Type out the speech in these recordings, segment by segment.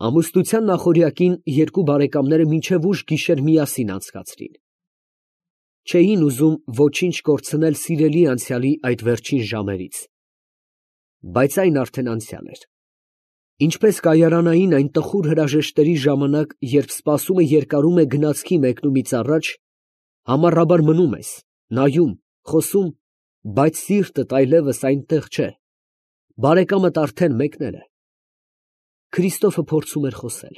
Ամուսնության նախօրյակին երկու բարեկամները մինչև ուշ գիշեր միասին անցկացրին. չէին ուզում ոչինչ կորցնել սիրելի անցյալի այդ վերջին ժամերից, բայց այն արդեն անցյալ էր. ինչպես կայարանային այն տխուր հրաժեշտների ժամանակ, երբ սպասումը երկարում է գնացքի մեկնումից առաջ, համառաբար մնում ես, նայում, խոսում, բայց սիրտդ այլևս այնտեղ չէ, բարեկամդ արդեն մեկնել է։ Քրիստոֆը փորձում էր խոսել.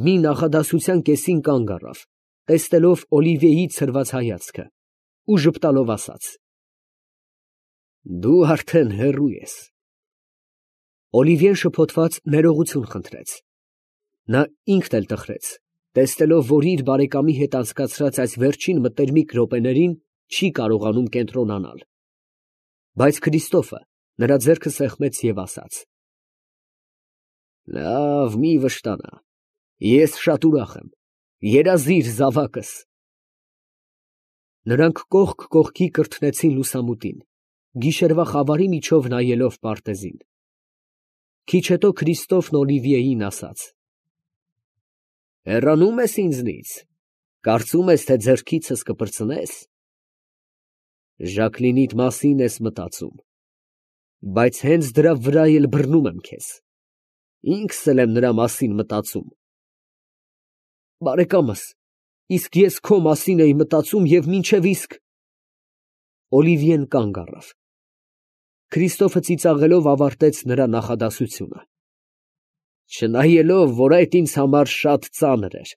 մի նախադասության կեսին կանգ առավ, տեսնելով Օլիվիեի ցրված հայացքը, ու ժպտալով ասաց. «Դու արդեն հեռու ես»։ Օլիվիեն շփոթված ներողություն խնդրեց։ Նա ինքն էլ տխրեց, տեսնելով, որ իր բարեկամի հետ անցկացրած այս վերջին մտերմիկ րոպեներին չի կարողանում կենտրոնանալ։ Բայց Քրիստոֆը նրա ձեռքը սեղմեց և ասաց. «Լավ, մի վշտանա, ես շատ ուրախ եմ, երազիր զավակս»։ Նրանք կողք կողքի կրթնեցին լուսամուտին, գիշերվա խավարի միջով նայելով պարտեզին։ Քիչ հետո Քրիստոֆն Օլիվիեին ասաց. «Հեռանում ես ինձնից, կարծում ես, թե ձեռքիցս կպրծնես։ Ժակլինիդ մասին ես մտածում, բայց հենց դրա վրա էլ բռնում եմ քեզ, ինքս էլ եմ նրա մասին մտածում»։ Բարեկամս, իսկ ես քո մասին էի մտածում և մինչև իսկ… Օլիվիեն կանգ առավ։ Քրիստոֆը ծիծաղելով ավարտեց նրա նախադասությունը, չնայելով, որ այդ ինձ համար շատ ծանր էր։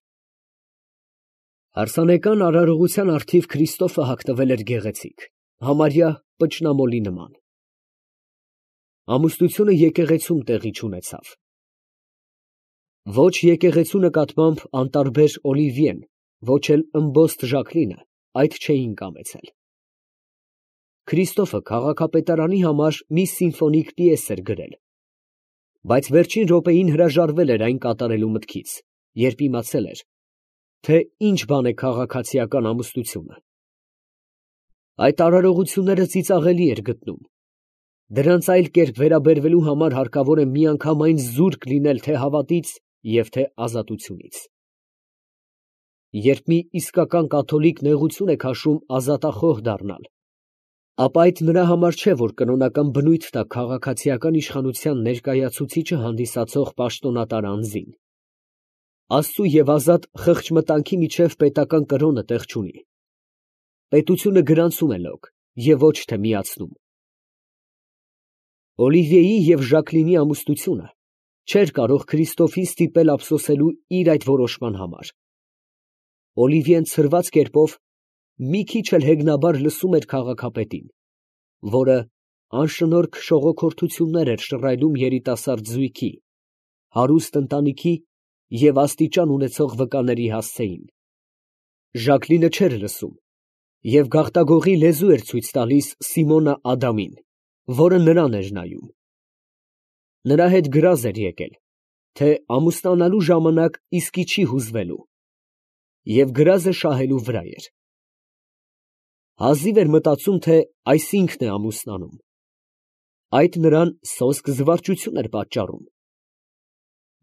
Հարսանեկան արարողության առթիվ Քրիստոֆը հագնվել էր գեղեցիկ, համարյա պճնամոլի նման։ Ամուսնությունը եկեղեցում տեղի չունեցավ։ Ոչ եկեղեցու նկատմամբ անտարբեր Օլիվիեն, ոչ էլ ըմբոստ Ժակլինը այդ չէին կամեցել։ Քրիստոֆը քաղաքապետարանի համար մի սիմֆոնիկ պիես էր գրել, բայց վերջին րոպեին հրաժարվել էր այն կատարելու մտքից, երբ իմացել էր, թե ինչ բան է քաղաքացիական ամուսնությունը։ Այդ արարողությունները ծիծաղելի էր գտնում։ Դրանց այլ կերպ վերաբերվելու համար հարկավոր է միանգամայն զուրկ լինել թե հավատից և թե ազատությունից։ Երբ մի իսկական կաթոլիկ նեղություն է քաշում ազատախոհ դառնալ, ապա այդ նրա համար չէ, որ կրոնական բնույթ տա քաղաքացիական իշխանության ներկայացուցիչը հանդիսացող պաշտոնատար անձին։ Աստծու և ազատ խղճմտանքի միջև պետական կրոնը տեղ չունի։ Պետությունը գրանցում է լոկ և ոչ թե միացնում։ Օլիվիեի և Ժակլինի ամուսնությունը չէր կարող Քրիստոֆին ստիպել ափսոսելու իր այդ որոշման համար։ Օլիվիեն ցրված կերպով մի քիչ էլ հեգնաբար լսում էր քաղաքապետին, որը անշնորհք շողոքորթություններ էր շռայլում երիտասարդ զույգի, հարուստ ընտանիքի և աստիճան ունեցող վկաների հասցեին։ Ժակլինը չէր լսում և գաղտագողի լեզու էր ցույց տալիս Սիմոնա Ադամին, որը նրան էր նայում։ Նրա հետ գրազ էր եկել, թե ամուսնանալու ժամանակ իսկի չի հուզվելու, և գրազը շահելու վրա էր։ Հազիվ էր մտածում, թե այս ինքն է ամուսնանում։ Այդ նրան սոսկ զվարճություն էր պատճառում։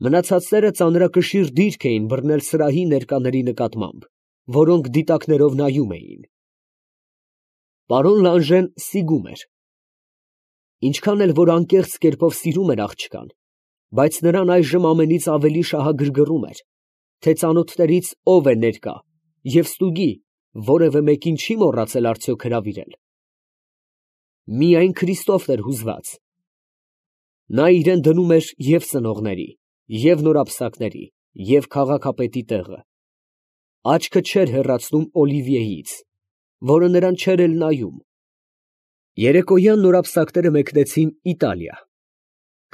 Մնացածները ծանրակշիռ դիրք էին բռնել սրահի ներկաների նկատմամբ, որոնք դիտակներով նայում էին։ Պարոն Լանժեն սիգում էր։ Ինչքան էլ որ անկեղծ կերպով սիրում էր աղջկան, բայց նրան այժմ ամենից ավելի շահագրգռում էր, թե ծանոթներից ով է ներկա և ստուգի, որևէ մեկին չի մոռացել արդյոք հրավիրել։ Միայն Քրիստոֆն էր հուզված։ Նա իրան դնում էր և ծնողների, և նորապսակների, և քաղաքապետի տեղը։ Աչքը չէր հեռացնում Օլիվիեից, որը նրան չէր էլ նայում։ Երեկոյան նորապսակները մեկնեցին Իտալիա։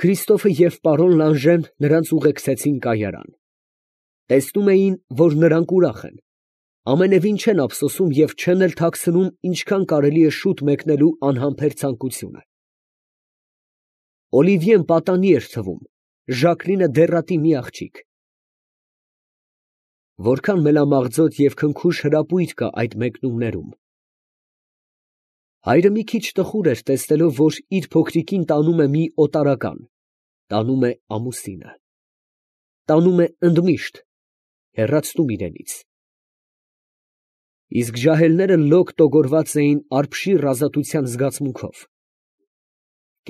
Քրիստոֆը և պարոն Լանժեն նրանց ուղեկցեցին կայարան։ Տեսնում էին, որ նրանք ուրախ են, ամենևին չեն ափսոսում և չեն էլ թաքցնում ինչքան կարելի է շուտ մեկնելու անհամբեր ցանկությունը։ Օլիվիեն պատանի էր թվում, Ժակլինը դեռատի մի աղջիկ։ Որքան մելամաղձոտ և քնքուշ հրապույր կա այդ մեկնումներում։ Հայրը մի քիչ տխուր էր, տեսնելով, որ իր փոքրիկին տանում է մի օտարական, տանում է ամուսինը։ տանում է ընդմիշտ, հեռացնում իրենից։ Իսկ ջահելները լոկ տոգորված էին արբշիր ազատության զգացմունքով։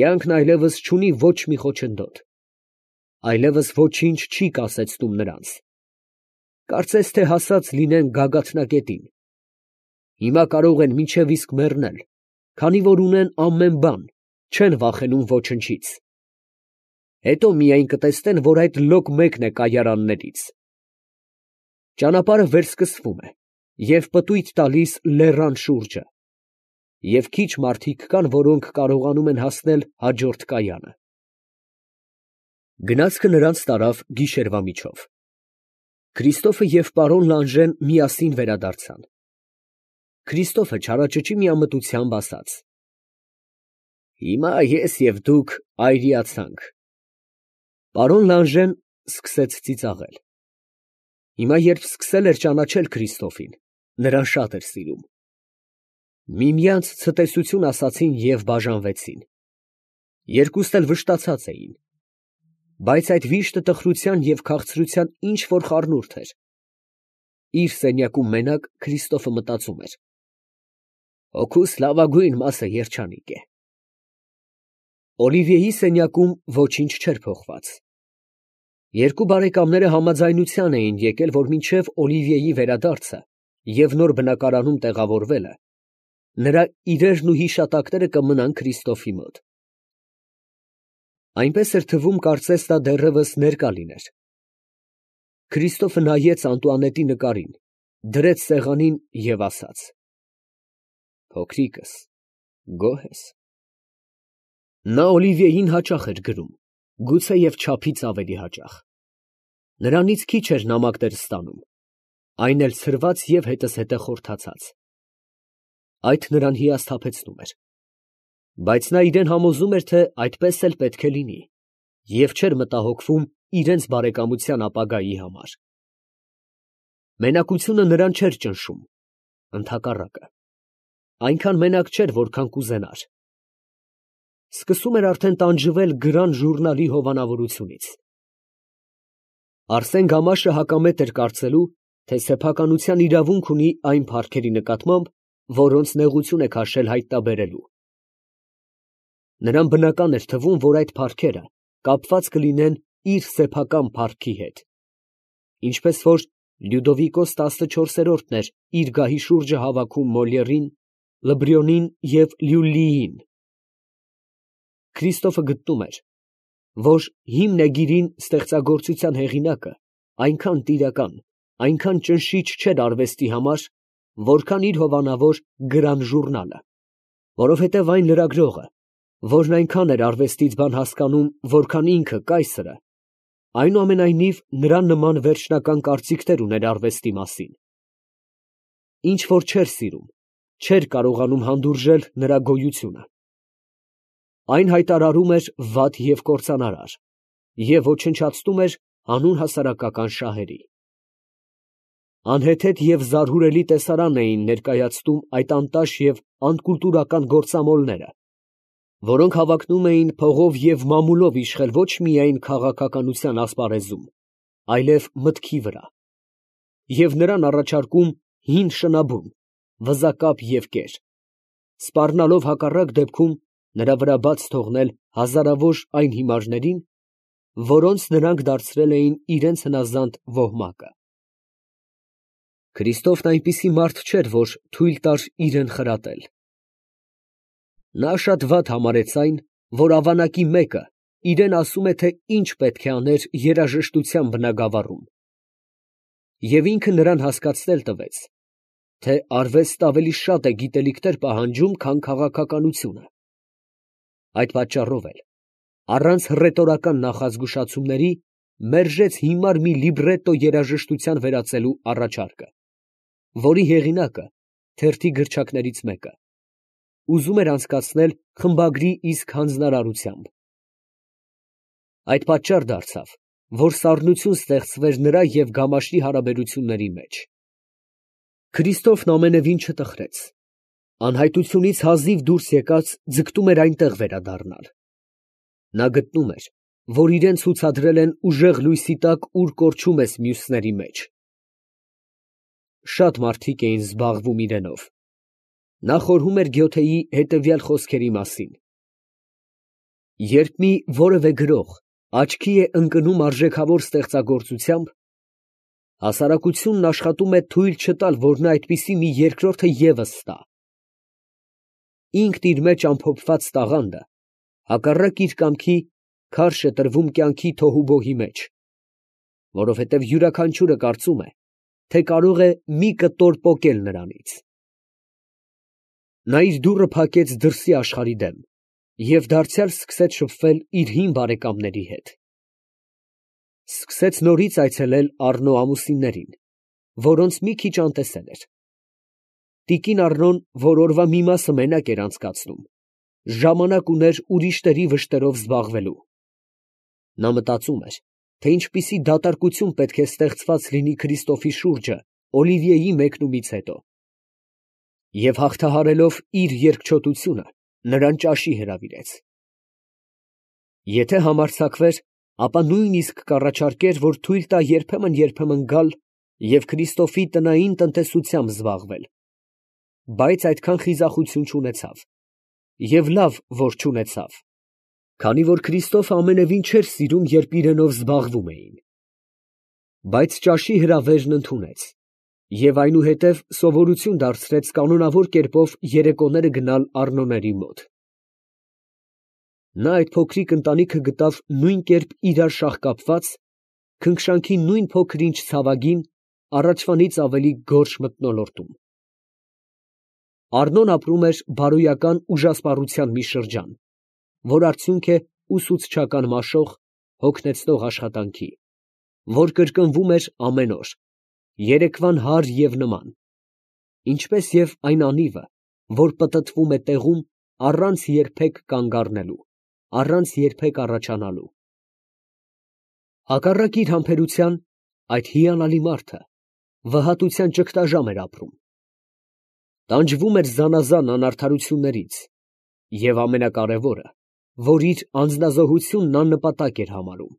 Կյանքն այլևս չունի ոչ մի խոչընդոտ, այլևս ոչինչ չի կասեցնում նրանց։ Կարծես թե հասած լինեն գագաթնակետին։ Հիմա կարող են մինչև իսկ մեռնել, քանի որ ունեն ամեն բան, չեն վախենում ոչնչից։ Հետո միայն կտեսնեն, որ այդ լոկ մեկն է կայարաններից։ Ճանապարհը վերսկսվում է և պտույտ տալիս լեռան շուրջը, և քիչ մարդիկ կան, որոնք կարողանում են հասնել հաջորդ կայանը։ Գնացքը նրանց տարավ գիշերվա միջով։ Քրիստոֆը և պարոն Լանժեն միասին վերադարձան։ Քրիստոֆը չարաճճի միամտությամբ ասաց. «Հիմա ես և դուք այրիացանք»։ Պարոն Լանժեն սկսեց ծիծաղել։ Հիմա, երբ սկսել էր ճանաչել Քրիստոֆին, նրան շատ էր սիրում։ Միմյանց ցտեսություն ասացին և բաժանվեցին։ Երկուստ էլ վշտացած էին։ Բայց այդ վիշտը տխրության և քաղցրության ինչ֊որ խառնուրդ էր։ Իր սենյակում մենակ Քրիստոֆը մտածում էր. «Հոգուս լավագույն մասը երջանիկ է»։ Օլիվիեի սենյակում ոչինչ չէր փոխված։ Երկու բարեկամները համաձայնության էին եկել, որ մինչև Օլիվիեի վերադարձը և նոր բնակարանում տեղավորվելը, նրա իրերն ու հիշատակները կմնան Քրիստոֆի մոտ։ Այնպես էր թվում, կարծես նա դեռևս ներկա լիներ։ Քրիստոֆը նայեց Անտուանետի նկարին, դրեց սեղանին և ասաց. «Փոքրիկս, գոհ ես»։ Նա Օլիվիեին հաճախ էր գրում, գուցեև չափից ավելի հաճախ։ Նրանից քիչ էր նամակներ ստանում, այն էլ ցրված և հետզհետե խորթացած։ Այդ նրան հիասթափեցնում էր։ Բայց նա իրան համոզում էր, թե այդպես էլ պետք է լինի, և չէր մտահոգվում իրենց բարեկամության ապագայի համար։ Մենակությունը նրան չէր ճնշում, ընդհակառակը, այնքան մենակ չէր, որքան կուզենար։ Սկսում էր արդեն տանջվել Գրան ժուրնալի հովանավորությունից։ Արսեն Գամաշը հակամետ էր կարծելու, թե սեփականության իրավունք ունի այն փառքերի նկատմամբ, որոնց նեղություն է քաշել հայտնաբերելու։ Նրան բնական էր թվում, որ այդ փառքերը կապված կլինեն իր սեփական փառքի հետ, ինչպես որ Լյուդովիկոս 14-րդն էր իր գահի շուրջը հավաքում Մոլիերին, Լբրյոնին և Լյուլլիին։ Քրիստոֆը գտնում էր, որ հիմնեգիրին ստեղծագործության հեղինակը այնքան տիրական, այնքան ճնշիչ չէր արվեստի համար, որքան իր հովանավոր Գրան ժուրնալը, որովհետև այն լրագրողը, որն այնքան էր արվեստից բան հասկանում, որքան ինքը կայսրը, այնուամենայնիվ նրան նման վերջնական կարծիքներ ուներ արվեստի մասին։ Ինչ որ չէր սիրում, չէր կարողանում հանդուրժել նրա գոյությունը։ Այն հայտարարում էր վատ և կործանարար և ոչնչացնում էր հանուն հասարակական շահերի։ Անհեթեթ և զարհուրելի տեսարան էին ներկայացնում այդ անտաշ և անկուլտուրական գործամոլները, որոնք հավակնում էին փողով և մամուլով իշխել ոչ միայն քաղաքականության ասպարեզում, այլև մտքի վրա, և նրան առաջարկում հին շնաբուն, վզակապ և կեր, սպառնալով հակառակ դեպքում նրա վրա բաց թողնել հազարավոր այն հիմարներին, որոնց նրանք դարձրել էին իրենց հնազանդ ոհմակը։ Քրիստոֆն այնպիսի մարդ չէր, որ թույլ տար իրան խրատել։ Նա շատ վատ համարեց այն, որ ավանակի մեկը իրան ասում է, թե ինչ պետք է աներ երաժշտության բնագավառում, և ինքը նրան հասկացնել տվեց, թե արվեստը ավելի շատ է գիտելիքներ պահանջում, քան քաղաքականությունը։ Այդ պատճառով էլ, առանց հռետորական նախազգուշացումների, մերժեց հիմար մի լիբրետո երաժշտության վերածելու առաջարկը, որի հեղինակը, թերթի գրչակներից մեկը, ուզում էր անցկացնել խմբագրի իսկ հանձնարարությամբ։ Այդ պատճառ դարձավ, որ սառնություն ստեղծվեր նրա և Գամաշի հարաբերությունների մեջ։ Քրիստոֆն ամենևին չտխրեց. անհայտությունից հազիվ դուրս եկած ձգտում էր այնտեղ վերադառնալ։ Նա գտնում էր, որ իրեն ցուցադրել են ուժեղ լույսի տակ, ուր կորչում ես մյուսների մեջ։ Շատ մարդիկ էին զբաղվում իրենով։ Նա խորհում էր Գյոթեի հետևյալ խոսքերի մասին. երբ մի որևէ գրող աչքի է ընկնում արժեքավոր ստեղծագործությամբ, հասարակությունն աշխատում է թույլ չտալ, որ նա այդպիսի մի երկրորդը ևս ստա։ Ինքն իր մեջ ամփոփված տաղանդը, հակառակ իր կամքի, քարշ է տրվում կյանքի թոհուբոհի մեջ, որովհետև յուրաքանչյուրը կարծում է, թե կարող է մի կտոր պոկել նրանից։ Նա իր դուռը փակեց դրսի աշխարհի դեմ և դարձյալ սկսեց շփվել իր հին բարեկամների հետ։ Սկսեց նորից այցելել Առնո ամուսիններին, որոնց մի քիչ անտեսել էր։ Տիկին Առնոն, որ օրվա մի մասը մենակ էր անցկացնում, ժամանակ ուներ ուրիշների վշտերով զբաղվելու։ Նա մտածում էր, թե ինչպիսի դատարկություն պետք է ստեղծված լինի Քրիստոֆի շուրջը Օլիվիեի մեկնումից հետո։ Եվ հաղթահարելով իր երկչոտությունը, նրան ճաշի հրավիրեց։ Եթե համարձակվեր, ապա նույնիսկ կառաջարկեր, որ թույլ տա երբեմն գալ և Քրիստոֆի տնային տնտեսությամբ զբաղվել, բայց այդքան խիզախություն չունեցավ, և լավ, որ չունեցավ, քանի որ Քրիստոֆը ամենևին չէր սիրում, երբ իրենով զբաղվում էին։ Բայց ճաշի հրավերն ընդունեց և այնուհետև սովորություն դարձրեց կանոնավոր կերպով երեկոները գնալ Առնոների մոտ։ Նա այդ փոքրիկ ընտանիքը գտավ նույն կերպ իրար շաղկապված, քնքշանքի նույն փոքր-ինչ ցավագին, առաջվանից ավելի գորշ մթնոլորտում։ Առնոն ապրում էր բարոյական ուժասպառության մի շրջան, որ արդյունք է ուսուցչական մաշող, հոգնեցնող աշխատանքի, որ կրկնվում էր ամեն օր, երեկվան հարր և նման, ինչպես և այն անիվը, որ պտտվում է տեղում առանց երբեք կանգ առնելու, առանց երբեք առաջանալու։ Հակառակ իր համբերության, այդ հիանալի մարդը վհատության ճգտաժամ էր ապրում։ Տանջվում էր զանազան անարդարություններից և ամենակարևորը, որ իր անձնազոհությունն աննպատակ էր համարում։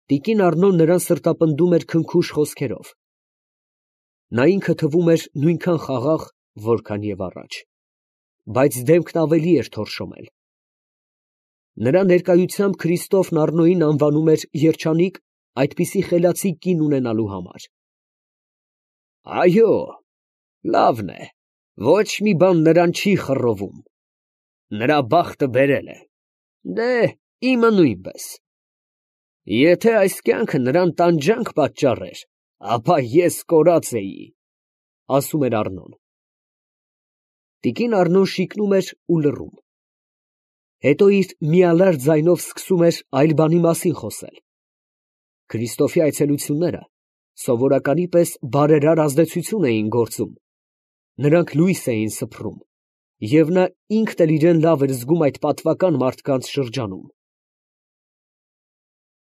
Տիկին Առնոն նրան սրտապնդում էր քնքուշ խոսքերով։ Նա ինքը թվում էր նույնքան խաղաղ, որքան և առաջ, բայց դեմքն ավելի էր թորշոմել։ Նրա ներկայությամբ Քրիստոֆն Առնոյին անվանում էր երջանիկ այդպիսի խելացի կին ունենալու համար։ Այո, լավն է, ոչ մի բան նրան չի խռովում, նրա բախտը բերել է, դե, իմը նույնպես։ Եթե այս կյանքը նրան տանջանք պատճառեր, ապա ես կորած էի, ասում էր Առնոն։ Տիկին Առնոն շիկնում էր ու լռում։ Հետո իր միալար ձայնով սկսում էր այլ բանի մասին խոսել։ Քրիստոֆի այցելությունները սովորականի պես բարերար ազդեցություն էին գործում, նրանք լույս էին սփռում, և նա ինքն էլ իրեն լավ էր զգում այդ պատվական մարդկանց շրջանում։